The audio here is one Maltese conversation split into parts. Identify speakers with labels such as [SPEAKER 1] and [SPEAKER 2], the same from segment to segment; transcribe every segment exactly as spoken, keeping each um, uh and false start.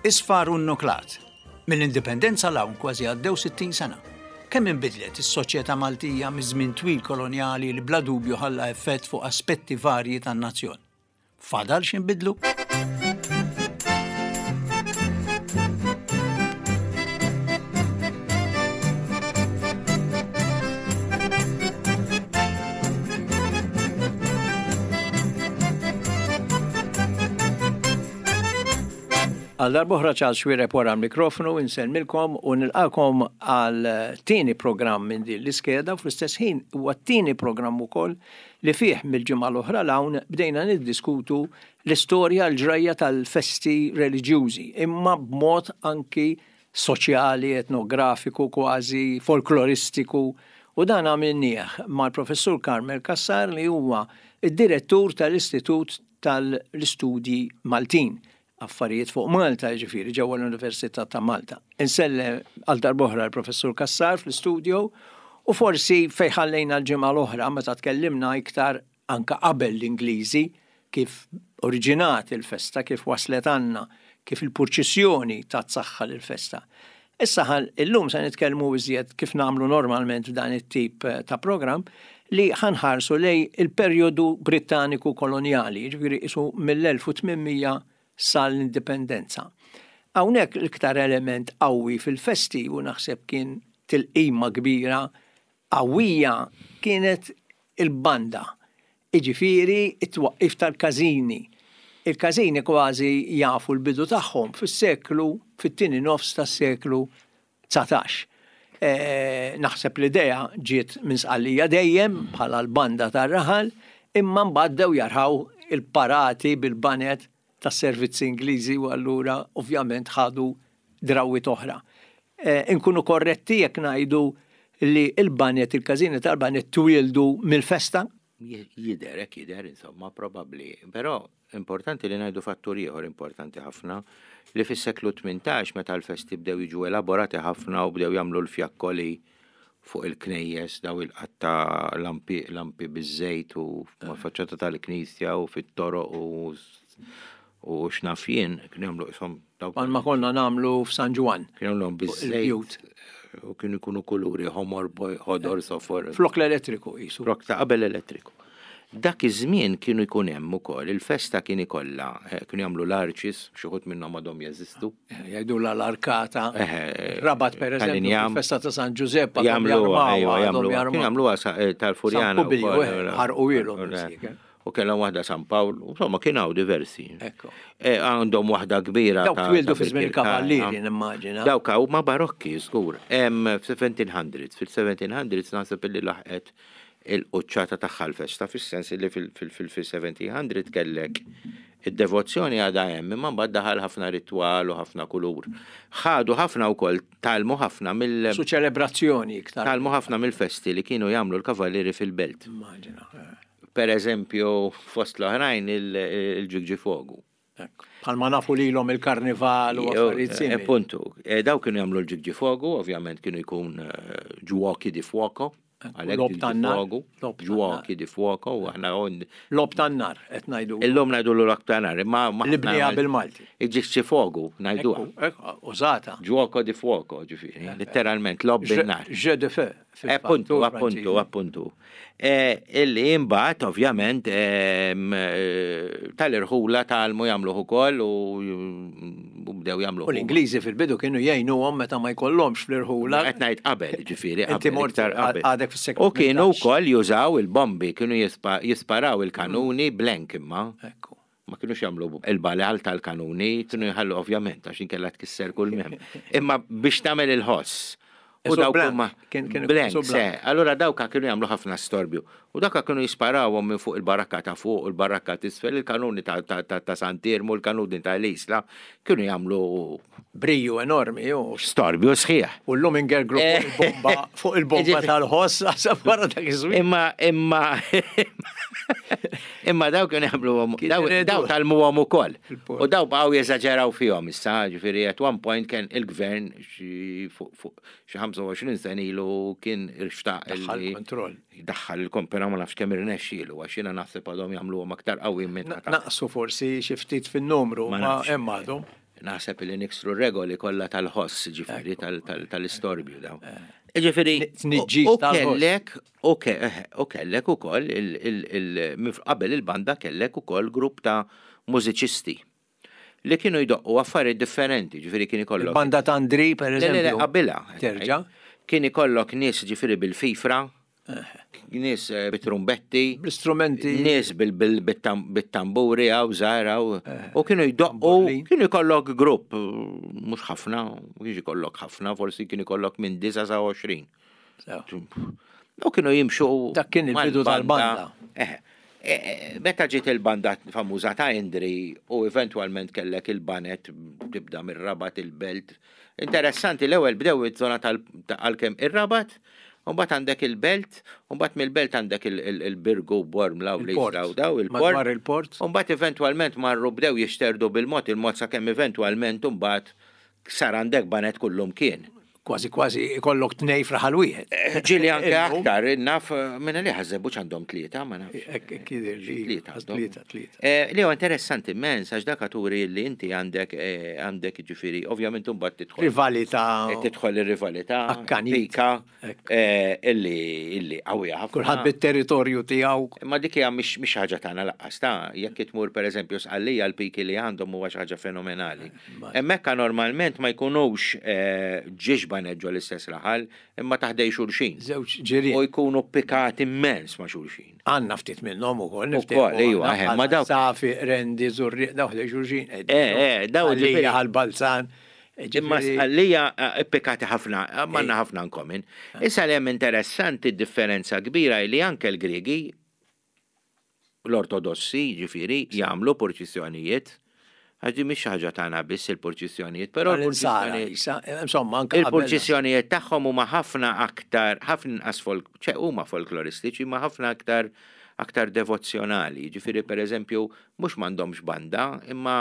[SPEAKER 1] Isfar u nnuklat. Mill-indipendenza 'l hawn kważi għaddew sittin sena. Kemm inbidlet is-soċjetà Maltija miż-żmien twil kolonjali li bla dubju ħalla effett fuq aspetti varji tan-nazzjon. Fadal x'inbidlu? Għal darb'oħra Charles Xuereb wara l-mikrofonu insellmilkom u nilqakom għal tieni programm minn din l-iskeda u fl-istess ħin huwa t-tieni programm ukoll li fih mill-ġimgħa l-oħra 'l hawn bdejna niddiskutu l-istorja l-ġrajja tal-festi reliġjużi imma b'mod anki soċjali, etnografiku, kważi folkloristiku u dan għamilnieh mal-professur Carmel Cassar li huwa id-direttur tal-Istitut tal-Istudji Maltin. Affarijiet fuq Malta, ġifieri, ġewwa l-Università ta' Malta. Insellem għal darb'oħra l-Professur Cassar fl-istudio u forsi fejn ħallejna l-ġimgħa l-oħra meta tkellimna iktar anka qabel l-Ingliżi kif oriġinat il-festa, kif waslet għandna, kif il-purċissjoni tat saħħa lill-festa. Issa ħal illum se nitkellmu iżjed kif nagħmlu normalment f'dan it-tip ta' programm li ħanħarsu lej il-perjodu Brittaniku kolonjali, ġifieri isu mill-elf u tmien mija sal-indipendenza. Hawnhekk l-iktar element qawwi fil-festi u naħseb kien tilqima kbira qawwija kienet il-banda. Iġifieri it-twaqqif tal-każini. Il-każini kważi jafu l-bidu tagħhom fis-seklu, fit-tieni nofs tas-seklu dsatax. Eh, naħseb l-idea ġiet minn Sqallija dejjem bħala l-banda tar-raħal, imma mbagħad bdew jarħaw il-parati bil-banet tas-servizzi Ingliżi u allura ovvjament ħadu drawwiet oħra. Eh, inkunu korretti jekk ngħidu li il-banet, il-każini tal-banet twieldu mill-festa?
[SPEAKER 2] Jidher, hekk jidher, insomma, probabbli. Però importanti li ngħidu fattur ieħor importanti ħafna li fis-seklu tmintax meta l-festi bdew jiġu elaborati ħafna u bdew jagħmlu l-fjakkoli fuq il-knejjes, daw il-qatta lampi, lampi biż-żejt u mal-faċċata tal-knisja u fit-toroq u u x'naf jien, kienu jagħmlu ishom
[SPEAKER 1] dawk. Bħalma konna nagħmlu f'San Ġwann.
[SPEAKER 2] Kienu jagħmluhom biż-żejt.
[SPEAKER 1] Il-bjut.
[SPEAKER 2] U kienu jkunu kuluri ħomor, ħodor, sofor.
[SPEAKER 1] Flok l-elettriku qisu.
[SPEAKER 2] Flok ta' qabel elettriku. Dak iż-żmien kienu jkun hemm ukoll, il-festa kien ikollha, eh, kienu jagħmlu l-arches, xi wħud minnhom għadhom jeżistu.
[SPEAKER 1] Eh, jgħidulha l-arkata.
[SPEAKER 2] Eh,
[SPEAKER 1] Rabat per eżempju,
[SPEAKER 2] tal-injam.
[SPEAKER 1] fil-festa ta' San Giuseppe għadhom
[SPEAKER 2] Jagħmluha,
[SPEAKER 1] jarmawha,
[SPEAKER 2] ejwa,
[SPEAKER 1] għadhom
[SPEAKER 2] jagħmluha.
[SPEAKER 1] jarmawha.
[SPEAKER 2] Kienu jagħmluha sa- eh, tal-Furjana
[SPEAKER 1] San Publiju,
[SPEAKER 2] wkoll,
[SPEAKER 1] eh,
[SPEAKER 2] eh,
[SPEAKER 1] ħarqu ilhom
[SPEAKER 2] eh,
[SPEAKER 1] missiek, eh.
[SPEAKER 2] U kellhom waħda San Pawl, insomma kien hawn diversi.
[SPEAKER 1] Ekku.
[SPEAKER 2] Eh, għandhom waħda kbira
[SPEAKER 1] Dawk
[SPEAKER 2] ta'
[SPEAKER 1] twieldu
[SPEAKER 2] ta'
[SPEAKER 1] fi żmien
[SPEAKER 2] Birkirkara.
[SPEAKER 1] il-Kavallieri, nimmaġina.
[SPEAKER 2] Dawk huma barokki, żgur. Hemm f'seventeen hundreds, fil-seventeen hundreds naħseb illi laħqet il-quċċata tagħha l-festa, fis-sens li fil-seventeen hundred kellek id-devozzjoni għadha hemm, imma mbagħad daħal ħafna ritwal u ħafna kulur. Ħadu ħafna wkoll, tgħallmu ħafna mill
[SPEAKER 1] Su ċelebrazzjoni iktar.
[SPEAKER 2] tgħallmu ħafna mill-festi li kienu jagħmlu l-kavallieri fil-belt.
[SPEAKER 1] Immaġina. eh.
[SPEAKER 2] Per eżempju, fost l-oħrajn il-ġigġifogu.
[SPEAKER 1] Ekku. Bħalma nafu lilhom il-karnival u affarijiet
[SPEAKER 2] Eh,
[SPEAKER 1] simili.
[SPEAKER 2] Puntu. Eh, Daw kienu jagħmlu l-ġigġifogu, ovvjament kienu jkun eh, giochi di fuoco. Għalhekk
[SPEAKER 1] Logħob tan-nar.
[SPEAKER 2] ġigġifogu,
[SPEAKER 1] Logħob tan-nar.
[SPEAKER 2] Giochi di fuoco, u aħna on-
[SPEAKER 1] Logħob tan-nar qed ngħidu.
[SPEAKER 2] Illum ngħidu l-logħob tan-nar, imma ma
[SPEAKER 1] Li bniha bil-Malti.
[SPEAKER 2] Il-ġigġifogu ngħiduha.
[SPEAKER 1] Ekku, ekku, użata.
[SPEAKER 2] Gioco di fuoco, ġifieri, letteralment logħob bin-nar.
[SPEAKER 1] Jeu de feu.
[SPEAKER 2] Eh, Appuntu, appuntu, appuntu. Eh, Illi imbagħad ovvjament ehm, eh, tal-irħula tgħallmu jagħmluh ukoll u u bdew jagħmluh.
[SPEAKER 1] U l-Ingliżi fil-bidu kienu jgħinuhom meta ma jkollhomx fl-irħula.
[SPEAKER 2] Qed ngħid qabel, ġifieri,
[SPEAKER 1] Inti
[SPEAKER 2] qabel,
[SPEAKER 1] mort
[SPEAKER 2] iktar qabel.
[SPEAKER 1] għadek fis-seklu
[SPEAKER 2] U kienu
[SPEAKER 1] tmintax.
[SPEAKER 2] wkoll jużaw il-bombi, kienu jispa- jisparaw il-kanuni blank imma.
[SPEAKER 1] Ekku.
[SPEAKER 2] Ma kienux jagħmlu il-balal tal-kanuni, kienu jħallu ovvjament għax inkella tkisser kull mem. Imma biex tagħmel il-ħoss. U
[SPEAKER 1] Isu
[SPEAKER 2] dawk
[SPEAKER 1] blank,
[SPEAKER 2] huma
[SPEAKER 1] kien- kien
[SPEAKER 2] blank,
[SPEAKER 1] isu blank.
[SPEAKER 2] se. Allura dawka kienu jagħmlu ħafna storbju. U dawka kienu jisparawhom minn fuq il-barakka ta' fuq u l-barakka t'isfel, il-kanuni ta' ta' ta' ta' Sant'Iermu, il-kanuni ta' l-Isla, kienu jagħmlu
[SPEAKER 1] Briju enormi, ju.
[SPEAKER 2] storbju sħiħ.
[SPEAKER 1] U l-lum ingergru fuq il-bomba, fuq il-bomba
[SPEAKER 2] Ġifieri-
[SPEAKER 1] tal-ħoss, għasab wara dak iż-żmien.
[SPEAKER 2] Imma, imma, imma daw kienu jagħmlu
[SPEAKER 1] Kien
[SPEAKER 2] daw
[SPEAKER 1] iridu.
[SPEAKER 2] daw tgħallmuhom ukoll.
[SPEAKER 1] Il-port.
[SPEAKER 2] U daw baqgħu jeżaġeraw fihom issa, ġifieri at one point kien il-gvern xi fuq fuq xi ħamsa u għoxrin sena ilu kien irxtaq
[SPEAKER 1] Daħħal
[SPEAKER 2] illi
[SPEAKER 1] kontroll.
[SPEAKER 2] Daħħal il-kompera ma nafx kemm irnexxielu għax jiena naħseb għadhom jagħmluhom aktar qawwi minn
[SPEAKER 1] Naqsu forsi xi ftit fin-numru,
[SPEAKER 2] Ma
[SPEAKER 1] ma
[SPEAKER 2] nafx.
[SPEAKER 1] hemm għadhom.
[SPEAKER 2] Naħseb li niksru regoli kollha tal-ħoss, ġifieri tal-istorbju daw. Ġifieri,
[SPEAKER 1] Tniġġis
[SPEAKER 2] u
[SPEAKER 1] tal-ħoss.
[SPEAKER 2] kellek, u ke- eh, u kellek ukoll il- il- il- mif- qabel il-banda kellek ukoll grupp ta' mużiċisti li kienu jdoqqu affarijiet differenti, ġifieri kien ikollok.
[SPEAKER 1] Il-banda ta' Andri, per
[SPEAKER 2] Le, le, le,
[SPEAKER 1] eżempju.
[SPEAKER 2] qabilha.
[SPEAKER 1] Terġa'.
[SPEAKER 2] Kien ikollok nies ġifieri bil-fifra, nies eh, bit-trumbetti,
[SPEAKER 1] Bl-istrumenti.
[SPEAKER 2] nies bil- bil- bit-tam- bit-tamburi għaw, żgħar għaw, u kienu jdoqqu,
[SPEAKER 1] Tamburlin.
[SPEAKER 2] kienu jkollok grupp, mhux ħafna, kienx ikollok ħafna, forsi kien ikollok minn disa sa għoxrin.
[SPEAKER 1] Sew.
[SPEAKER 2] U kienu jimxu.
[SPEAKER 1] Dak kien il-bidu
[SPEAKER 2] mal-banda.
[SPEAKER 1] tal-banda.
[SPEAKER 2] Eh, eh, Meta ġiet il-banda famuża ta' Indri u eventwalment kellek il-banet tibda mir-Rabat il-Belt. Interessanti, l-ewwel bdew iż-żona tal-għalkemm ir-Rabat, u mbagħad għandek il-Belt, u mbagħad mill-Belt għandek il- il- il-Birgu, Bormla u
[SPEAKER 1] Il-port.
[SPEAKER 2] l-Isla u daw il-port.
[SPEAKER 1] Madwar il-port.
[SPEAKER 2] U mbagħad eventwalment marru bdew jixterdu bil-mod il-mod sakemm eventwalment mbagħad sar għandek banet kullum kien.
[SPEAKER 1] Kważi kważi ikollok tnej fraħal wieħed.
[SPEAKER 2] Eh, Ġili anke
[SPEAKER 1] Illum,
[SPEAKER 2] aktar, naf, eh, minna li ħazzebuċ għandhom tlieta, ma nafx.
[SPEAKER 1] Ek ek jidher li
[SPEAKER 2] Tlieta għandhom.
[SPEAKER 1] Tlieta, tlieta.
[SPEAKER 2] Eh, Li huwa interessanti immens, għax dak turi li inti għandek, eh, għandek ġifieri, ovvjament mbagħad tidħol.
[SPEAKER 1] Rivalità.
[SPEAKER 2] eh, Tidħol ir-rivalità,
[SPEAKER 1] Akkanit.
[SPEAKER 2] pika,
[SPEAKER 1] Ekk.
[SPEAKER 2] eh, illi illi qawwija ħafna.
[SPEAKER 1] Kulħadd bit-territorju tiegħu.
[SPEAKER 2] Ma dik hija mhix mhix ħaġa tagħna laqqas ta' jekk tmur pereżempju Sqallija l-piki li għandhom huwa xi ħaġa fenomenali. Hemmhekk normalment ma jkunux eh, ġiex baneġġu l-istess raħal, imma taħdej xulxin.
[SPEAKER 1] Żewġ ġirien.
[SPEAKER 2] U jkunu pikati immens ma' xulxin.
[SPEAKER 1] Għanna ftit minnhom ukoll.
[SPEAKER 2] Ukoll, iva, eh, ma dawk-
[SPEAKER 1] Safi, Rendi, Zurri, daw ħdej xulxin.
[SPEAKER 2] Eh, eh, daw ġifieri-
[SPEAKER 1] Għalija għal-Balzan.
[SPEAKER 2] Imma Sqallija eh, pikkati ħafna, eh, m'għandna ħafna in common. Issa li hemm interessanti differenza kbira li anke l-Griegi l-ortodossi ġifieri jagħmlu purċissjonijiet. Għax mhix ħaġa tagħna biss il-purċissjonijiet, però
[SPEAKER 1] L-insara,
[SPEAKER 2] l-purċissjonijiet
[SPEAKER 1] issa, insomma, anke qabel.
[SPEAKER 2] Il-purċissjonijiet tagħhom huma ħafna aktar, ħafna inqas folk, ċe huma folkloristiċi, ma ħafna aktar aktar devozzjonali. Ġifieri pereżempju mhux m'għandhomx banda, imma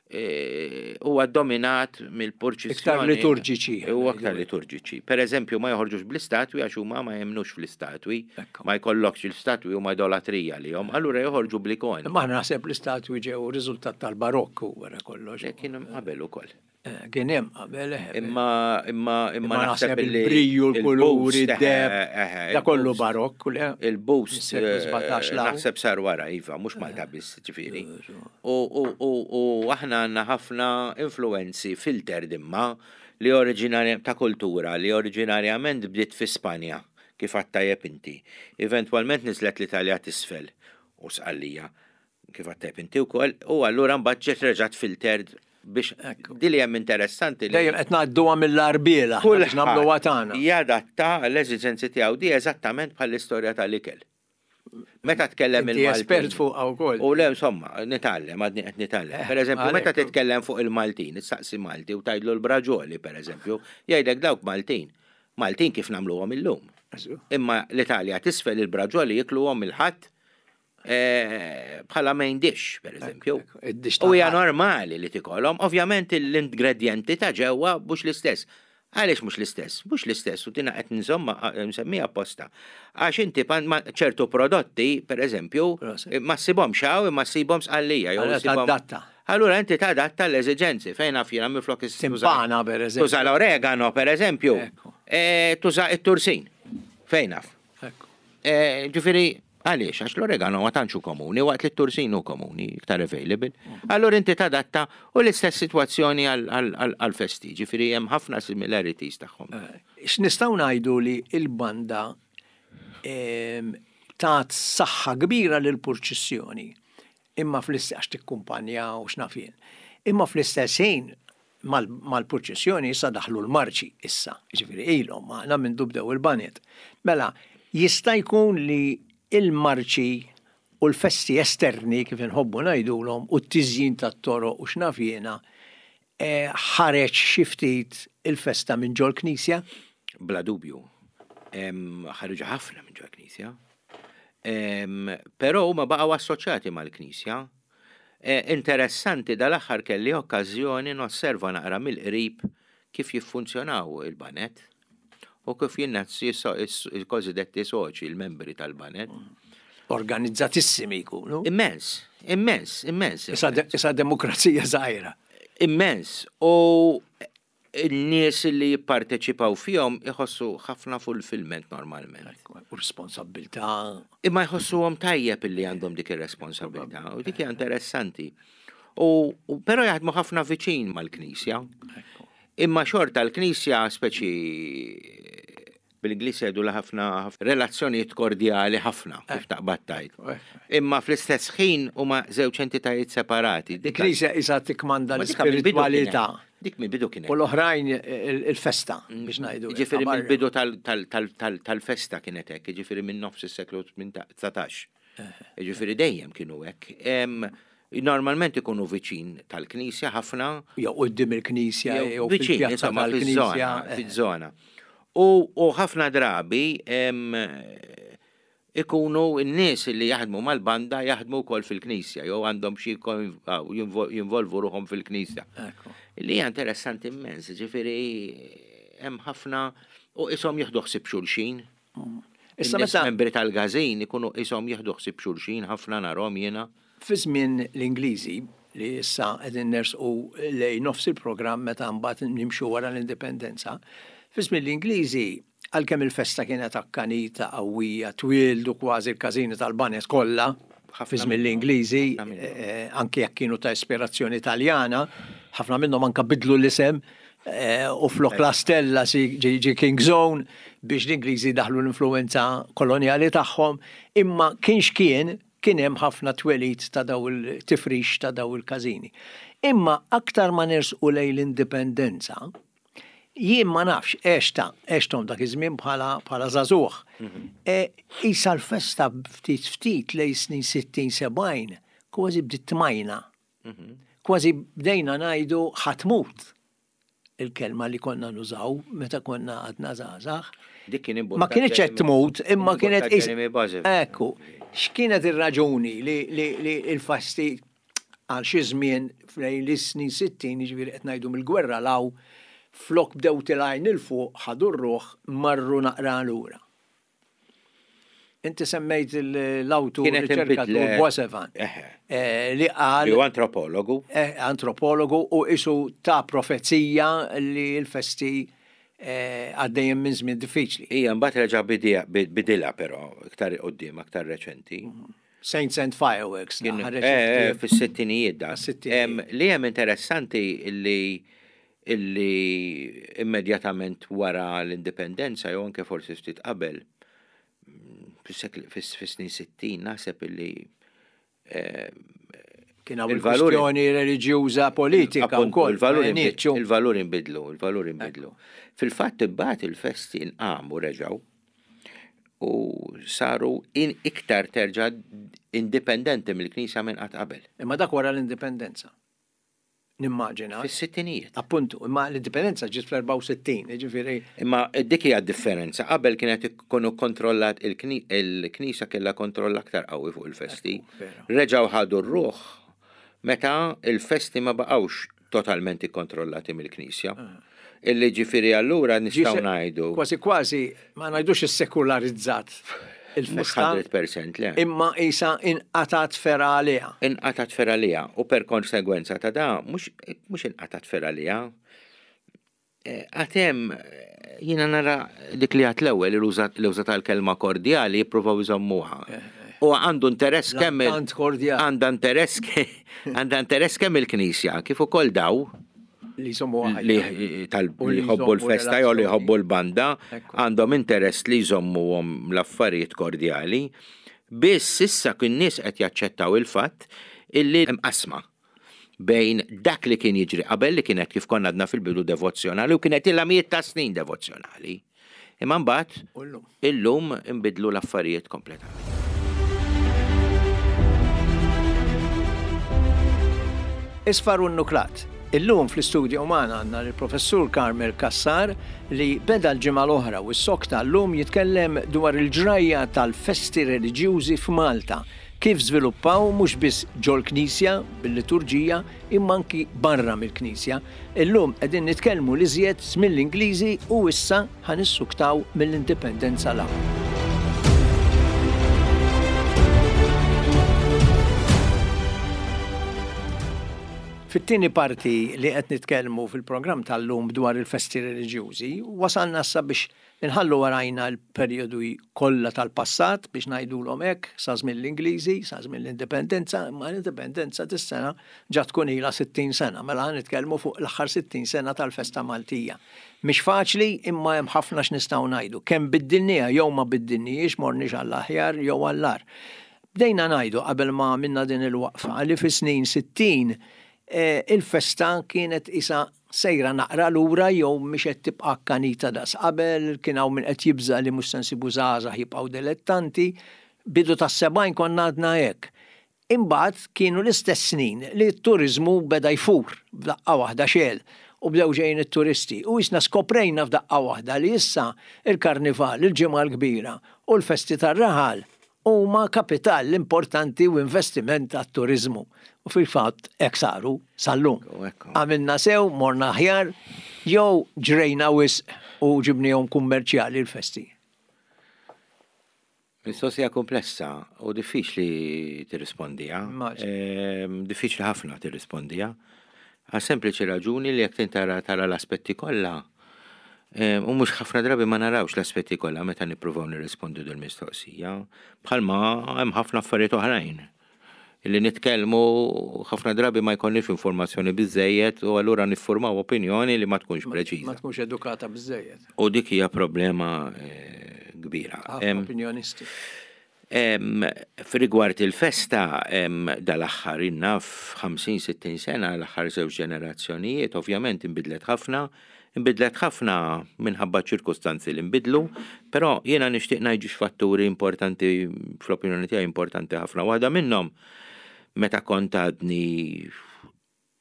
[SPEAKER 2] eh, huwa dominat mill-purċissjoni.
[SPEAKER 1] Iktar liturġiċi.
[SPEAKER 2] Huwa aktar liturġiċi. Per eżempju, ma joħorġux bl-istatwi għax huma ma jemnux fl-istatwi,
[SPEAKER 1] Ekku.
[SPEAKER 2] ma jkollokx l-istatwi huma idolatrija li jom, allura joħorġu bl-ikoni.
[SPEAKER 1] Imma aħna naħseb l-istatwi ġew riżultat tal-barokku wara kollox.
[SPEAKER 2] Le, Kienu qabel ukoll.
[SPEAKER 1] Eh, Kien hemm qabel eh,
[SPEAKER 2] Imma imma imma
[SPEAKER 1] imma
[SPEAKER 2] naħseb
[SPEAKER 1] naħseb
[SPEAKER 2] li
[SPEAKER 1] il-briju, il-kuluri,
[SPEAKER 2] il-boost,
[SPEAKER 1] id-deb,
[SPEAKER 2] eh, eh,
[SPEAKER 1] da kollu
[SPEAKER 2] il-boost-
[SPEAKER 1] barokku le.
[SPEAKER 2] Il-boost
[SPEAKER 1] Mis-seklu
[SPEAKER 2] eh,
[SPEAKER 1] sbatax law.
[SPEAKER 2] naħseb sar wara, Iva, mhux Malta biss, ġifieri. U u- u u aħna għandna ħafna influenzi filter dimma li oriġinarja ta' kultura li oriġinarjament bdiet fi Spanja, kif għedt tajjeb inti. Eventwalment niżlet l-Italja t'isfel u Sqallija, kif għedt tajjeb inti wkoll, u allura mbagħad ġiet reġgħet filtered biex di li hemm interessanti li
[SPEAKER 1] Dejjem qed ngħadduha mill-arbiela biex nagħmluha tagħna.
[SPEAKER 2] jadatta l-eżiġenzi tiegħu di eżattament bħall-istorja tal-ikel. Meta tkellem
[SPEAKER 1] Inti
[SPEAKER 2] il-Maltin.
[SPEAKER 1] espert fuqha wkoll.
[SPEAKER 2] U le, insomma, nitgħallem, għadni qed nitgħallem.
[SPEAKER 1] Eh,
[SPEAKER 2] Per eżempju, meta
[SPEAKER 1] għalhekk.
[SPEAKER 2] titkellem fuq il-Maltin, issaqsi Malti u tgħidlu l-braġoli, per eżempju, jgħidlek dawk Maltin. Maltin kif nagħmluhom illum. Imma l-Italja t'isfel il-braġoli jikluhom il-ħadd eh, bħala main dish, per eżempju.
[SPEAKER 1] Id-dish
[SPEAKER 2] U hija
[SPEAKER 1] tal-ħadd.
[SPEAKER 2] normali li tikolhom, ovvjament l-ingredienti ta' ġewwa mhux l-istess. Għaliex mhux l-istess? Mhux l-istess u tina qed nżomma nsemmija apposta. Għax inti pan- ma- ċertu prodotti, per eżempju,
[SPEAKER 1] Proset.
[SPEAKER 2] ma ssibhomx hawn imma ssibhom Sqallija jew
[SPEAKER 1] Allora
[SPEAKER 2] ssibhom-
[SPEAKER 1] tadatta.
[SPEAKER 2] Allura inti tadatta l-eżiġenzi fejn naf jiena minflok is- tuża-
[SPEAKER 1] Timpana, per eżempju.
[SPEAKER 2] Tuża l-oregano, per eżempju.
[SPEAKER 1] Ekku.
[SPEAKER 2] Eh, Tuża it-tursin. Fejn naf.
[SPEAKER 1] Ekku.
[SPEAKER 2] Eh, Ġifieri, għaliex, għax l-oregano ma tantx hu komuni, waqt li t-tursin hu komuni, iktar available. Allura inti tadatta u l-istess sitwazzjoni għal-festi, ġifieri hemm ħafna similarities tagħhom.
[SPEAKER 1] Eh, X'nistgħu ngħidu li il-banda em, tat saħħa kbira lil purċissjoni imma fl-istess għax tikkumpanja u x'naf jien. Imma fl-istess ħin mal- mal-purċissjoni issa daħlu l-marċi issa, ġifieri ilhom magħna minn bdew il-banet. Mela, jista' jkun li il-marċi u l-festi esterni kif inħobbu ngħidulhom u t-tiżjin tat-toroq u x'naf jiena eh, ħareġ xi ftit il-festa minn ġol knisja?
[SPEAKER 2] Bla dubju. Em, Ħarġu ħafna minn ġol knisja. Em, Però huma baqgħu assoċjati mal-knisja. Eh, Interessanti dal-aħħar kelli okkażjoni nosserva naqra mill-qrib kif jiffunzjonaw il-banet u kif jinnazzi il-kozidetti soċi, il-membri tal-banet.
[SPEAKER 1] Organizzatissimi jkunu.
[SPEAKER 2] Immens, immens, immens.
[SPEAKER 1] Issa de- Issa demokrazija żgħira.
[SPEAKER 2] Immens. U n-nies li jipparteċipaw fihom iħossu ħafna fulfillment normalment.
[SPEAKER 1] U responsabbiltà.
[SPEAKER 2] Imma jħossuhom tajjeb illi għandhom dik ir-responsabbiltà u dik hija interessanti. U, u però jaħdmu ħafna viċin mal-Knisja. Imma xorta l-Knisja speċi bil-Ingliż jgħidu ħafna relazzjonijiet kordjali ħafna kif taqbad tgħid. Imma fl-istess ħin huma żewġ entitajiet separati.
[SPEAKER 1] Dik Knisja isa tikmanda l-ispiritwalità.
[SPEAKER 2] Dik mill-bidu kienet.
[SPEAKER 1] U l-oħrajn il-festa biex ngħidu.
[SPEAKER 2] Ġifieri mill-bidu tal-festa kienet hekk, ġifieri minn nofs is-seklu dsatax. Ġifieri dejjem kienu hekk. Normalment ikunu viċin tal-Knisja ħafna.
[SPEAKER 1] Jew quddiem il-Knisja, jew
[SPEAKER 2] viċin tal-Knisja. Fiż-żona. U ħafna drabi ikunu n-nies li jaħdmu mal-banda jaħdmu wkoll fil-Knisja, jew għandhom xi jinvolvu ruħhom fil-Knisja. Li hija interessanti immens, ġifieri hemm ħafna u ishom jieħdu ħsieb xulxin. Issa meta membri tal-każin ikunu ishom jieħdu ħsieb xulxin ħafna narhom jiena.
[SPEAKER 1] Fi żmien l-Ingliżi li issa qegħdin nersqu lejn nofs il-programm meta mbagħad nimxu wara l-indipendenza, fi żmien l-Ingliżi għalkemm il-festa kienet akkanita qawwija, twieldu kważi l-każini tal-banet kollha fi żmien l-Ingliżi, anke jekk kienu ta' ispirazzjoni Taljana, ħafna minnhom anke bidlu l-isem u flok la Stella ġi King Zone biex l-Ingliżi daħlu l-influenza kolonjali tagħhom, imma kienx kien kien hemm ħafna twelid ta' daw il-tifrix ta' daw il-każini. Imma aktar ma nersqu lejn l-indipendenza, jien ma nafx għexta, għexthom dak iż-żmien bħala bħala żagħżugħ. Isa l-festa ftit ftit lejn snin sittin sebgħin kważi bdiet tmajna. Kważi bdejna ngħidu ħatmut il-kelma li konna nużaw meta konna għadna żgħażagħ.
[SPEAKER 2] Dik kien
[SPEAKER 1] Ma kienx qed tmut, imma kienet Ekku, x'kienet ir-raġuni li li l-festi għal xi żmien lejn is-snin sittin, jiġifieri qed ngħidu mill-gwerra law flok bdew tilgħin il fuq ħadu r-ruħ marru naqra lura. Inti semmejt l-awtur riċerkatur Boissevain li qal
[SPEAKER 2] li antropologu.
[SPEAKER 1] Antropologu u isu ta' profezija li l-festi għaddejjem minn żmien diffiċli.
[SPEAKER 2] Ija, mbagħad reġa' bidilha però iktar quddiem, aktar reċenti.
[SPEAKER 1] Saints and Fireworks.
[SPEAKER 2] Fis-sittinijiet da. Li hemm interessanti li illi immedjatament wara l-indipendenza jew anke forsi ftit qabel fis-snin sittin naħseb illi
[SPEAKER 1] kien hawn il-kwistjoni reliġjuża politika wkoll.
[SPEAKER 2] Il-valuri nbidlu, il-valuri nbidlu. Fil-fatt imbagħad il-festi nqamu reġgħu u saru iktar terġa' indipendenti mill-Knisja minn qatt qabel.
[SPEAKER 1] Imma dak wara l-indipendenza. Nimmaġina.
[SPEAKER 2] Fis-sittinijiet.
[SPEAKER 1] Appuntu, imma l-indipendenza ġiet fl-erbgħa u sittin, jiġifieri.
[SPEAKER 2] Imma dik hija d-differenza. Qabel kienet ikunu kontrollat il-Knisja kellha kontroll aktar qawwi fuq il-festi. Reġgħu ħadu r-ruħ meta il-festi ma baqgħux totalment ikkontrollati mill-Knisja. Illi ġifieri allura nistgħu ngħidu.
[SPEAKER 1] Kważi kważi ma ngħidux issekularizzat il-festa.
[SPEAKER 2] mhux mija fil-mija le.
[SPEAKER 1] Imma isa inqatat fergħa għaliha.
[SPEAKER 2] Inqatat fergħa għaliha u per konsegwenza ta' da mhux inqatat fergħa għaliha. Għad hemm jiena nara dik li għad l-ewwel li uża tal-kelma kordjali jippruvaw iżommuha. U għandu interess kemm għandha interess għandha interess kemm il-Knisja kif ukoll daw
[SPEAKER 1] li jżommuha
[SPEAKER 2] li jħobbu l-festa jew li jħobbu l-banda għandhom interess li jżommuhom l-affarijiet kordjali. Biss issa kien nies qed jaċċettaw il-fatt illi hemm qasma bejn dak li kien jiġri qabel li kienet kif konna għadna fil-bidu devozzjonali u kienet ilha mijiet ta' snin devozzjonali. Imma mbagħad illum inbidlu l-affarijiet kompletament.
[SPEAKER 1] Isfar u n-nuklat. Illum fl-istudju magħna għandna l-professur Carmel Cassar li beda l-ġimgħa l-oħra u s-sokta llum jitkellem dwar il-ġrajja tal-festi reliġjużi f'Malta, kif żviluppaw mhux biss ġol-Knisja bil-liturġija imma anki barra mill-Knisja. Illum qegħdin nitkellmu li żjed mill-Ingliżi u issa ħanissuktaw mill-indipendenza l. Fit-tieni parti li qed nitkellmu fil-programm tal-lum dwar il-festi reliġjużi, wasalna issa biex nħallu warajna l-perjodu kollha tal-passat biex ngħidulhom hekk sa żmien l-Ingliżi, sa żmien l-Indipendenza, imma l-Indipendenza dis-sena ġa tkun ilha sittin sena, mela nitkellmu fuq l-aħħar sittin sena tal-festa Maltija. Mhix faċli, imma hemm ħafna x'nistgħu ngħidu. Kemm biddilniha jew ma biddilnihiex, morniex għall-aħjar jew għall-agħar. Bdejna ngħidu qabel ma għamilna din il-waqfa li fis-snin sittin il-festa kienet isa sejra naqra lura jew mhix qed tibqa' akkanita daqs qabel, kien hawn min qed jibża' li mhux se nsibu żgħażagħ jibqgħu dilettanti, bidu tas-sebgħin konna għadna hekk. Imbagħad kienu l-istess snin li t-turiżmu beda jfur f'daqqa waħda xejn u bdew ġejjin it-turisti u isna skoprejna f'daqqa waħda li issa il-karnival, il-Ġimgħa l-Kbira u l-festi tar-raħal huma kapital importanti u investiment għat-turiżmu. U fil-fatt hekk saru sal-lum. Għamilna sew, morna aħjar, jew ġrejna wisq u ġibnihom kummerċjali l-festi.
[SPEAKER 2] Mistoqsija komplessa u diffiċli tirrispondija. Diffiċli ħafna tirrispondija. Għal sempliċi raġuni li jekk tara tara l-aspetti kollha, u mhux ħafna drabi ma narawx l-aspetti kollha meta nippruvaw nirrispondu dil mistoqsija, bħalma hemm ħafna affarijiet oħrajn li nitkellmu ħafna drabi ma jkollniex informazzjoni biżejjed u allura niffurmaw opinjoni li ma tkunx preċiża.
[SPEAKER 1] Ma tkunx edukata biżejjed.
[SPEAKER 2] U dik hija problema kbira.
[SPEAKER 1] Opinjonisti.
[SPEAKER 2] F'rigward il-festa, dal-aħħar inna f'ħamsin sittin sena, l-aħħar żewġ ġenerazzjonijiet, ovvjament inbidlet ħafna, inbidlet ħafna minħabba ċirkustanzi li nbidlu, però jiena nixtieq ngħid ġiex fatturi importanti, fl-opinjoni tiegħi importanti ħafna. Waħda minnhom meta kont għadni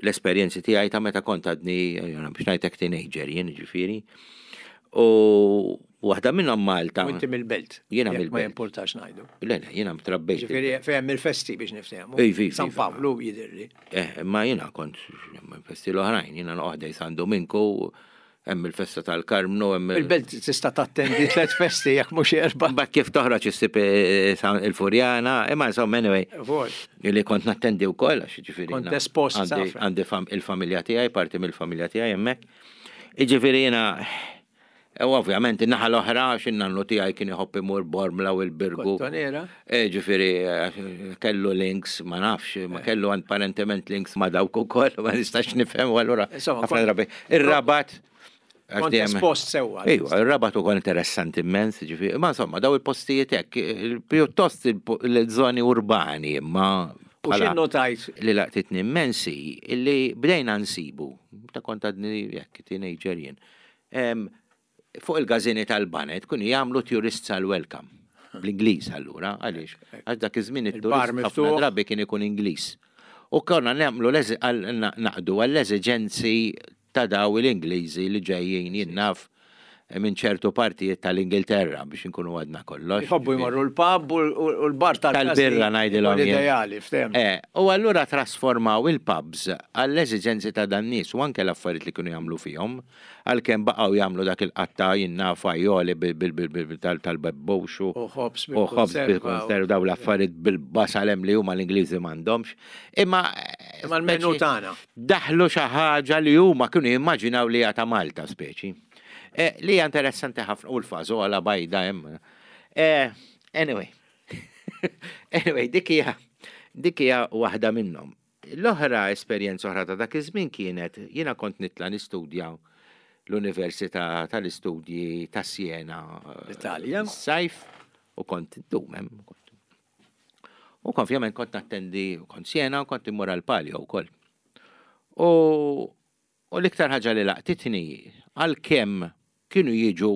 [SPEAKER 2] l-esperjenzi tiegħi ta' meta kont għadni, biex ngħidlek teenager jien ġifieri. U waħda minnhom Malta.
[SPEAKER 1] U inti mill-belt.
[SPEAKER 2] Jiena mill-belt.
[SPEAKER 1] Ma jimportax ngħidu.
[SPEAKER 2] Le, le, jiena mtrabbejt.
[SPEAKER 1] Ġifieri fejn il-festi biex niftehmu. San Pawlu jidhirli.
[SPEAKER 2] Eh, ma jiena kont festi l-oħrajn, jiena noqgħod San Dominku, hemm il-festa tal-Karmnu, hemm
[SPEAKER 1] Il-belt tista' tattendi tliet festi jekk mhux erba'.
[SPEAKER 2] Mbagħad kif toħroġ issib il-Furjana, imma insomma anyway. Li kont nattendi wkoll għax jiġifieri.
[SPEAKER 1] Kont espost.
[SPEAKER 2] Għandi il-familja tiegħi, parti mill-familja tiegħi hemmhekk. Jiġifieri jiena u ovvjament in-naħa l-oħra għax in-nannu tiegħi kien iħobb imur Bormla u l-Birgu.
[SPEAKER 1] Kottonera.
[SPEAKER 2] Ġifieri kellu links, ma nafx, ma kellu apparentement links ma dawk ukoll, ma nistax nifhem u allura ħafna drabi. Ir-Rabat
[SPEAKER 1] Kont espost sewwa.
[SPEAKER 2] Ejwa, ir-Rabat ukoll interessanti immens, ġifieri, ma insomma daw il-postijiet hekk, pjuttost il-żoni urbani, imma
[SPEAKER 1] U x'innotajt?
[SPEAKER 2] Li laqtitni immensi, illi bdejna nsibu, ta' kont għadni jekk teenager jien. Fuq il-gazini tal-banet kunu jagħmlu tourists għal welcome. Bl-Ingliż allura, għaliex? Għax dak iż-żmien it-turist ħafna drabi kien ikun Ingliż. U konna nagħmlu naqdu għall-eżiġenzi ta' daw l-Ingliżi li ġejjin jinnaf minn ċertu partijiet tal-Ingilterra biex inkunu għadna kollox.
[SPEAKER 1] Jħobbu jmorru l-pub u l-bar
[SPEAKER 2] tal-birra ngħidilhom.
[SPEAKER 1] Ideali, ftehim.
[SPEAKER 2] U allura trasformaw il-pubs għall-eżiġenzi ta' dan nies u anke l-affarijiet li kienu jagħmlu fihom, għalkemm baqgħu jagħmlu dak il-qatta jinnaf fajjoli tal-bebbux
[SPEAKER 1] u ħobs
[SPEAKER 2] bil-konserv daw l-affarijiet bil-basal hemm li huma l-Ingliżi m'għandhomx. Imma
[SPEAKER 1] Imma l-menu tagħna.
[SPEAKER 2] Daħlu xi ħaġa li huma kienu jimmaġinaw li hija ta' Malta speċi. Li hija interessanti ħafna u l-fażola bajda hemm. Anyway. Anyway, dik hija dik hija waħda minnhom. L-oħra esperjenza oħra ta' dak iż-żmien kienet jiena kont nitla' nistudja l-Università tal-Istudji ta' Siena.
[SPEAKER 1] L-Italja.
[SPEAKER 2] Sajf u kont ndum hemm. U ovvjament kont nattendi kont Siena u kont immur għall-Palio wkoll. U l-iktar ħaġa li laqtitni għalkemm kienu jiġu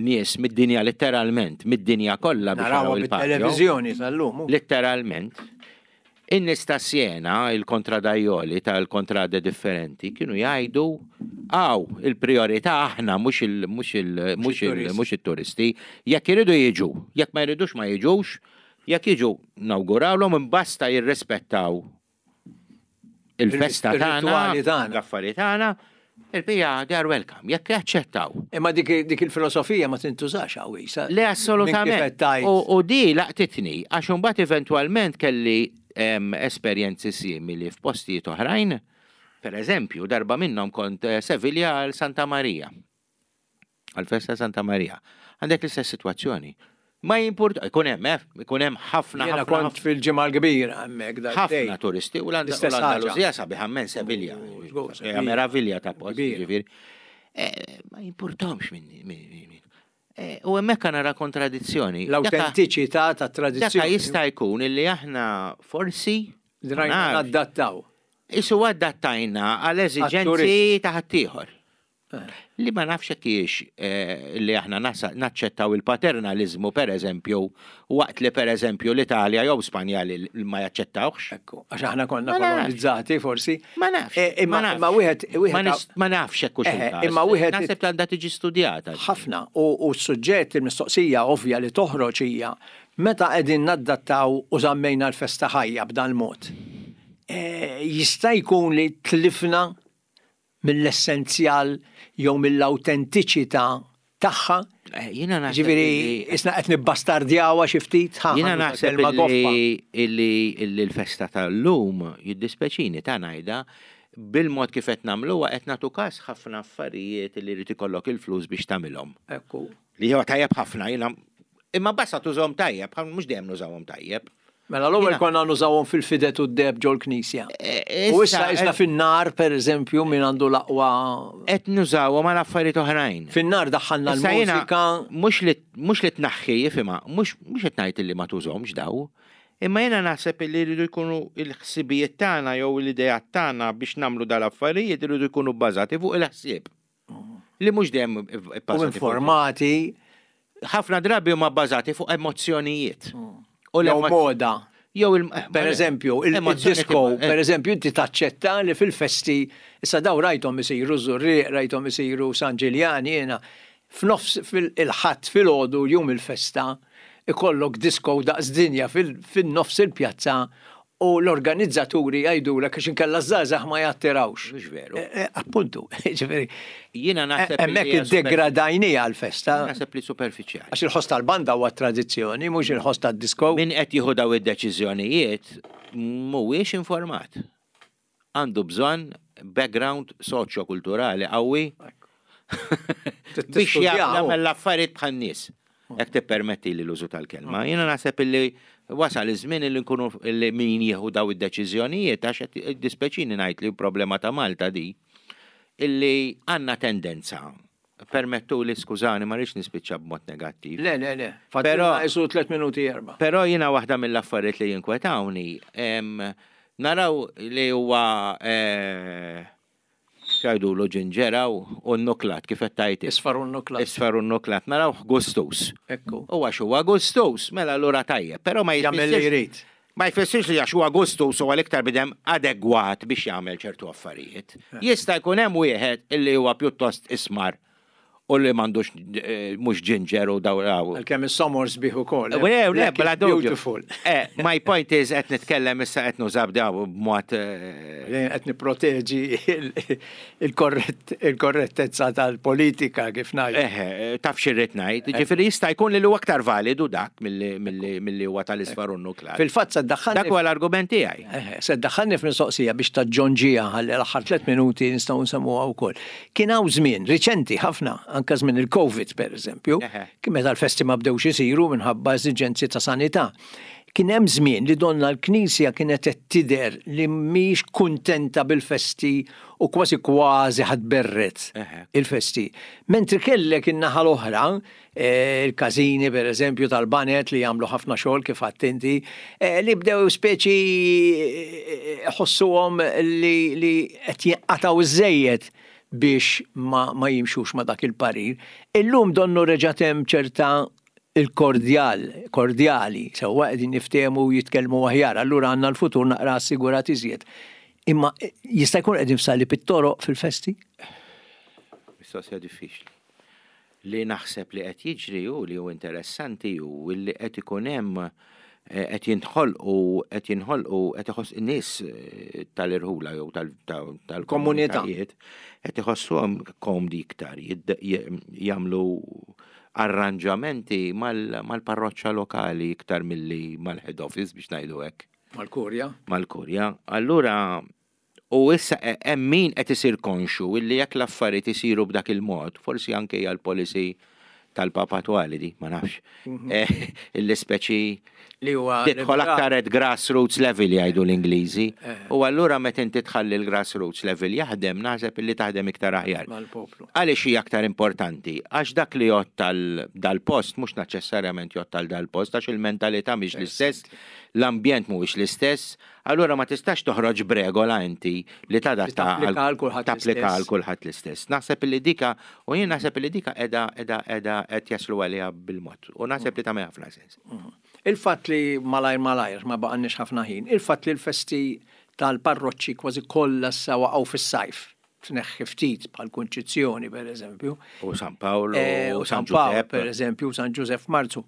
[SPEAKER 2] nies mid-dinja letteralment, mid-dinja kollha biex
[SPEAKER 1] jaraw il-televizjoni tal-lum.
[SPEAKER 2] Letteralment. In-nies ta' Siena, il-kontradajoli tal-kontrade differenti, kienu jgħidu għaw il-priorità aħna mhux il mhux il mhux il mhux it-turisti, jekk iridu jiġu, jekk ma jridux ma jiġux, jekk jiġu nawgurawlhom imbasta jirrispettaw il-festa tagħna, l-affarijiet tagħna. Il-bija, they are welcome, jekk jaċċettaw.
[SPEAKER 1] Imma dik il-filosofija ma tintużax hawn.
[SPEAKER 2] Le, assolutament. U di laqtitni, għax imbagħad eventwalment kelli em, esperjenzi simili f'postijiet oħrajn. Per eżempju, darba minnhom kont eh, Sevilla għal Santa Maria. Għal festa Santa Maria. Għandek l-istess sitwazzjoni. Ma jimpurt, ikun hemm, eh, ikun hemm ħafna
[SPEAKER 1] Jiena
[SPEAKER 2] ħafna
[SPEAKER 1] kont fil-Ġimgħa l-Kbira hemmhekk
[SPEAKER 2] ħafna turisti u
[SPEAKER 1] L-istess ħaġa.
[SPEAKER 2] l-Andaluzija sabiħa minn Sevilla.
[SPEAKER 1] U, żgur,
[SPEAKER 2] Hija
[SPEAKER 1] Sevilla.
[SPEAKER 2] meravilja ta' post,
[SPEAKER 1] Kbira.
[SPEAKER 2] ġifieri. Eh, Ma jimpurtomx minn minn- minn- Eh, U hemmhekk nara kontradizzjoni. Daka-
[SPEAKER 1] L-autentiċità ta'
[SPEAKER 2] Daka
[SPEAKER 1] tradizzjoni.
[SPEAKER 2] jista' jkun illi aħna forsi
[SPEAKER 1] Drajna
[SPEAKER 2] ma nafx,
[SPEAKER 1] nadattaw.
[SPEAKER 2] Isu adattajna għal eżiġenzi
[SPEAKER 1] Għat-turist.
[SPEAKER 2] ta' ħaddieħor.
[SPEAKER 1] Eh.
[SPEAKER 2] Li ma nafx hekk hijiex eh, li aħna nasa- naċċettaw il-paternalizmu per eżempju, waqt li per eżempju l-Italja jew Spanja li li ma jaċċettawx.
[SPEAKER 1] Ekku, għax aħna konna
[SPEAKER 2] Ma nafx.
[SPEAKER 1] kolonizzati forsi.
[SPEAKER 2] Ma nafx.
[SPEAKER 1] Eh, Imma
[SPEAKER 2] ma nafx.
[SPEAKER 1] imma wieħed
[SPEAKER 2] Ma
[SPEAKER 1] wieħed
[SPEAKER 2] nis- ma nafx hekk hux
[SPEAKER 1] Eh,
[SPEAKER 2] il-każ.
[SPEAKER 1] imma wieħed-
[SPEAKER 2] Naħseb li għandha tiġi studjata.
[SPEAKER 1] ħafna u, u s-suġġett il-mistoqsija ovvja li toħroġ hija meta qegħdin naddattaw u żammejna l-festa ħajja b'dan mod. E, jista' jkun li tlifna mill-essenzjal jew mill-autentiċità tagħha.
[SPEAKER 2] Eh, Jiena naħseb
[SPEAKER 1] Ġifieri
[SPEAKER 2] li-
[SPEAKER 1] isna qed nibbastardjawha xi ftit. ħa,
[SPEAKER 2] Jiena
[SPEAKER 1] ħa nuża
[SPEAKER 2] naħseb
[SPEAKER 1] kelma goffa.
[SPEAKER 2] illi illi illi l-festa tal-lum jiddispeċini ta' ngħidha bil-mod kif qed nagħmluha qed nagħtu każ ħafna affarijiet li jrid ikollok il-flus biex tagħmilhom.
[SPEAKER 1] Ekku.
[SPEAKER 2] Li huwa tajjeb ħafna jiena imma basta tużhom tajjeb, mhux dejjem nużawhom tajjeb.
[SPEAKER 1] Mela l-ewwel
[SPEAKER 2] Jiena-
[SPEAKER 1] konna nużawhom fil-fidet u d-deb ġol-knisja.
[SPEAKER 2] E,
[SPEAKER 1] U issa isna fin-nar pereżempju min għandu l-aqwa
[SPEAKER 2] qed nużawhom għal affarijiet oħrajn.
[SPEAKER 1] fin-nar daħħalna
[SPEAKER 2] Issa jiena
[SPEAKER 1] l-mużika.
[SPEAKER 2] mhux li mhux li tnaħħi jifhimha, mhux mhux qed ngħid li ma tużhomx daw, imma jiena naħseb li jridu jkunu l-ħsibijiet tagħna jew l-ideat tagħna biex nagħmlu dal-affarijiet iridu jkunu bbażati fuq il-ħsieb. Li mhux dejjem
[SPEAKER 1] U
[SPEAKER 2] bbażati fuq.
[SPEAKER 1] informati
[SPEAKER 2] Ħafna drabi huma bbażati fuq emozzjonijiet. U
[SPEAKER 1] jew
[SPEAKER 2] l-emo-
[SPEAKER 1] moda.
[SPEAKER 2] Jew il
[SPEAKER 1] Per eżempju, il-
[SPEAKER 2] emozzjoni
[SPEAKER 1] il-disco,
[SPEAKER 2] tibqa- eh,
[SPEAKER 1] per eżempju, inti taċċetta li fil-festi, issa daw rajthom isiru Żurrieq, rajthom isiru San Ġiljan, jiena, f'nofs fil-ħadd fil-ħodu jum il-festa, ikollok disco daqs dinja fil- fin-nofs il-pjazza u l-organizzaturi jgħidulek għax inkella żgħażagħ ma jattirawx.
[SPEAKER 2] Mhux veru.
[SPEAKER 1] Eh, eh, Appuntu, ġifieri.
[SPEAKER 2] Jiena naħseb li
[SPEAKER 1] Hemmhekk
[SPEAKER 2] hija super-
[SPEAKER 1] iddegradajnija l-festa.
[SPEAKER 2] Naħseb li superfiċjali.
[SPEAKER 1] Għax il-ħoss tal-banda huwa tradizzjoni, mhux il-ħoss tad-disco.
[SPEAKER 2] Min qed jieħu daw id-deċiżjonijiet mhuwiex informat. Għandu bżonn background soċjo-kulturali qawwi biex
[SPEAKER 1] Tistudjaw.
[SPEAKER 2] jagħmel l-affarijiet bħan-nies. Jekk tippermetti li l-użu tal-kelma. Jiena naħseb illi wasal iż-żmien illi nkunu illi min jieħu daw id-deċiżjonijiet għax qed dispeċini ngħid li problema ta' Malta di illi għandna tendenza. Permettu li skużani ma rridx nispiċċa b'mod negattiv.
[SPEAKER 1] Le, le, le.
[SPEAKER 2] Però-
[SPEAKER 1] Però jisu tliet minuti erba.
[SPEAKER 2] Però jiena waħda mill-affarijiet li jinkwetawni, em, naraw li huwa eh, x'jgħidulu ġinġera u n-nuklat kif qed tgħid.
[SPEAKER 1] Isfar u nuklat.
[SPEAKER 2] Isfar u n-nuklat, naraw gustus.
[SPEAKER 1] Ekku.
[SPEAKER 2] U għax huwa gustus, mela allura tajjeb, però ma
[SPEAKER 1] Jagħmel li
[SPEAKER 2] jfissirx
[SPEAKER 1] jrid.
[SPEAKER 2] Ma jfissirx li għax huwa gustus huwa l-iktar bidem adegwat biex jagħmel ċertu affarijiet. Jista' jkun hemm wieħed illi huwa pjuttost ismar u li m'għandux eh, mhux ġinġer u daw daw.
[SPEAKER 1] Għalkemm is-somor sbieħ ukoll.
[SPEAKER 2] Le, le,
[SPEAKER 1] Black
[SPEAKER 2] bla
[SPEAKER 1] is
[SPEAKER 2] dubju.
[SPEAKER 1] Beautiful.
[SPEAKER 2] Eh, my point is qed nitkellem issa qed nużab daw b'mod eh,
[SPEAKER 1] Jien Qed nipproteġi il- il-korrett- il-korrettezza tal-politika kif ngħid.
[SPEAKER 2] eh, taf xirrit ngħid. Ġifieri jista' jkun li huwa aktar validu dak milli milli milli huwa tal-isfar u n-nuklar.
[SPEAKER 1] Fil-fatt se
[SPEAKER 2] Dak
[SPEAKER 1] ddaħħalni
[SPEAKER 2] huwa l-argument tiegħi.
[SPEAKER 1] Eh, se ddaħħalni f'mistoqsija biex taġġonġija ħalli l-aħħar tliet minuti nistgħu nsemmuha wkoll. Kien hawn żmien riċenti ħafna, anke żmien il-Covid pereżempju,
[SPEAKER 2] Eħe.
[SPEAKER 1] kien meta l-festi ma bdewx isiru minħabba eżiġenzi ta' sanità. Kien hemm żmien li donna l-Knisja kienet qed tidher li mhix kuntenta bil-festi u kważi kważi ħadberret
[SPEAKER 2] Eħe.
[SPEAKER 1] il-festi. Mentri kellek in-naħa l-oħra, eh, il-każini per eżempju tal-banet li jagħmlu ħafna xogħol kif għadt inti, eh, li bdew speċi eh, ħossuhom li li qed jinqatgħu iżejjed biex ma, ma jimxux ma dak il-parir. Illum donnu reġa' hemm ċerta il-kordjal, kordjali, sewwa qegħdin niftehmu u jitkellmu aħjar, allura għandna l-futur naqra assigurat iżjed. Imma eh, jista' jkun qegħdin f'sali pit-toroq fil-festi?
[SPEAKER 2] Mistoqsija diffiċli. Li naħseb li qed jiġri u li hu interessanti u li qed ikun hemm eh, qed jinħolqu qed jinħolqu qed iħoss in-nies eh, tal-irħula jew tal- tal-
[SPEAKER 1] Komunità.
[SPEAKER 2] tal-komunitajiet qed iħossuhom komdi iktar jidd- j- jagħmlu arranġamenti mal- mal-parroċċa lokali iktar milli mal-head office biex ngħidu hekk.
[SPEAKER 1] Mal-Kurja.
[SPEAKER 2] Mal-Kurja. Allura, u issa hemm min qed isir konxu illi jekk l-affarijiet isiru b'dak il-mod, forsi anke hija l-policy tal-Papa attwali di, ma nafx. Eh, illi speċi
[SPEAKER 1] Li huwa
[SPEAKER 2] tidħol aktar at grassroots level, jgħidu l-Ingliżi.
[SPEAKER 1] Eh.
[SPEAKER 2] U allura meta inti tħalli l-grassroots level jaħdem, naħseb illi taħdem iktar aħjar.
[SPEAKER 1] Mal-poplu.
[SPEAKER 2] Għaliex hija aktar importanti? Għax dak li jgħodd tal dal-post mhux neċessarjament jgħodd tal dal-post, għax il-mentalità mhix l-istess, l-ambjent mhuwiex l-istess, allura ma tistax toħroġ b'regola inti li tadatta
[SPEAKER 1] Tapplika għal kulħadd
[SPEAKER 2] tapplika
[SPEAKER 1] l-istess.
[SPEAKER 2] għal kulħadd l-istess. Naħseb li dika, u jien naħseb li dika qiegħda qiegħda qiegħda qed jaslu għaliha bil-mod. U naħseb li tagħmel ħafna sens.
[SPEAKER 1] Il-fatt li malajr malajr, ma baqgħalniex ħafna ħin, il-fatt li l-festi tal-parroċċi kważi kollha sa waqgħu fis-sajf, tneħħi ftit bħal Kunċizzjoni, per eżempju.
[SPEAKER 2] U San Paolo,
[SPEAKER 1] Eh,
[SPEAKER 2] u
[SPEAKER 1] u San
[SPEAKER 2] San
[SPEAKER 1] Pawl,
[SPEAKER 2] Giuseppe.
[SPEAKER 1] Per eżempju, u San Giuseppe Marzu.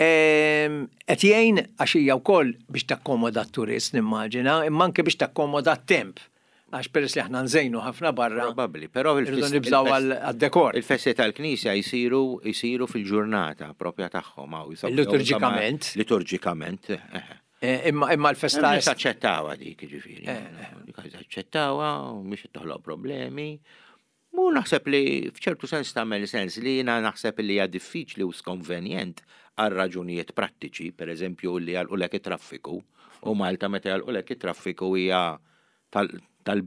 [SPEAKER 1] Ehm, Qed jgħin għax hija wkoll biex takkomoda t-turist, nimmaġina, imma anke biex takkomoda t-temp. Għax peress li aħna nżejnu ħafna barra.
[SPEAKER 2] Probabbli, però
[SPEAKER 1] Irridu
[SPEAKER 2] il-fest-
[SPEAKER 1] nibżgħu
[SPEAKER 2] il-fest-
[SPEAKER 1] għal- għad-dekor.
[SPEAKER 2] Il-festi tal-Knisja jisiru jisiru fil-ġurnata propja tagħhom hawn. jisab-
[SPEAKER 1] Liturġikament.
[SPEAKER 2] Liturġikament. eh, eh.
[SPEAKER 1] Eh, Imma imma l-festa
[SPEAKER 2] Nies aċċettawha dik, ġifieri.
[SPEAKER 1] Eh,
[SPEAKER 2] Dik aċċettawha u mhix toħloq problemi. Mu naħseb li f'ċertu sens tagħmel sens li jiena naħseb li hija diffiċli u skonvenjent għal raġunijiet prattiċi, per eżempju li jagħlqulek it-traffiku, u Malta meta jagħlqulek it-traffiku hija tal tal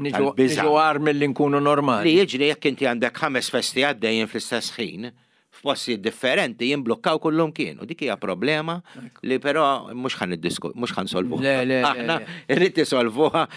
[SPEAKER 1] niġu
[SPEAKER 2] tal-biża'.
[SPEAKER 1] niġu agħar milli nkunu normali.
[SPEAKER 2] Li jiġri jekk inti għandek ħames festi għaddejjin fl-istess ħin, f'postijiet differenti, jimblokkaw kullum kien. U dik hija problema li però mhux ħa niddisku, mhux ħa nsolvuha.
[SPEAKER 1] Le, le, le,
[SPEAKER 2] Aħna
[SPEAKER 1] le.
[SPEAKER 2] irrid isolvuha.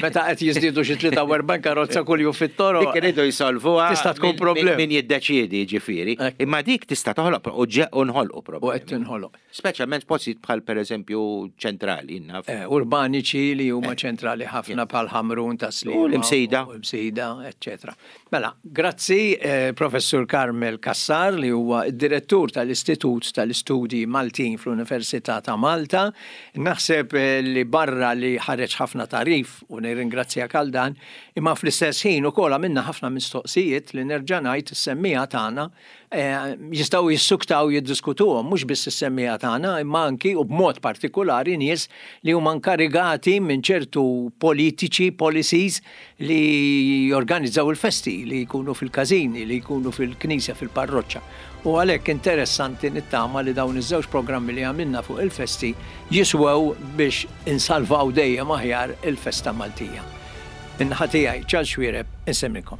[SPEAKER 1] Meta qed jiżdiedu xi tlieta u erbgħin karozza kuljum fit-toroq.
[SPEAKER 2] Dik iridu jsolvuha.
[SPEAKER 1] Tista' tkun
[SPEAKER 2] min-
[SPEAKER 1] problema.
[SPEAKER 2] Min jiddeċiedi, ġifieri.
[SPEAKER 1] Ekku.
[SPEAKER 2] Imma dik tista' toħloq u ġe u nħolqu
[SPEAKER 1] U qed
[SPEAKER 2] problemi.
[SPEAKER 1] tinħoloq.
[SPEAKER 2] Speċjalment postijiet bħal pereżempju ċentrali, naf.
[SPEAKER 1] Eh, urbaniċi li huma ċentrali ħafna bħal Ħamrun, ta' Sliema.
[SPEAKER 2] U l-Imsida.
[SPEAKER 1] U l-Imsida, eccetera. Mela, grazzi, eh, Professur Carmel Cassar, li huwa id-direttur tal-Istitut tal-Istudji Maltin fl-Università ta' Malta. Naħseb eh, li barra li ħareġ ħafna tagħrif u nirringrazzjak għal dan, imma fl-istess ħin ukoll għamilna ħafna mistoqsijiet li nerġa' ngħid is-semmiegħa tagħna eh, jistgħu jissuktaw jiddiskutuhom, mhux biss is-semmiegħa tagħna, imma anki u b'mod partikolari nies li huma inkarigati minn ċertu politiċi, policies li jorganizzaw il-festi, li jkunu fil-każini, li jkunu fil-knisja, fil-parroċċa. U għalhekk interessanti, nittama li dawn iż-żewġ programmi li għamilna fuq il-festi jiswew biex insalvaw dejjem aħjar il-festa Maltija. Min-naħa tiegħi, Charles Xuereb, insellmilkom.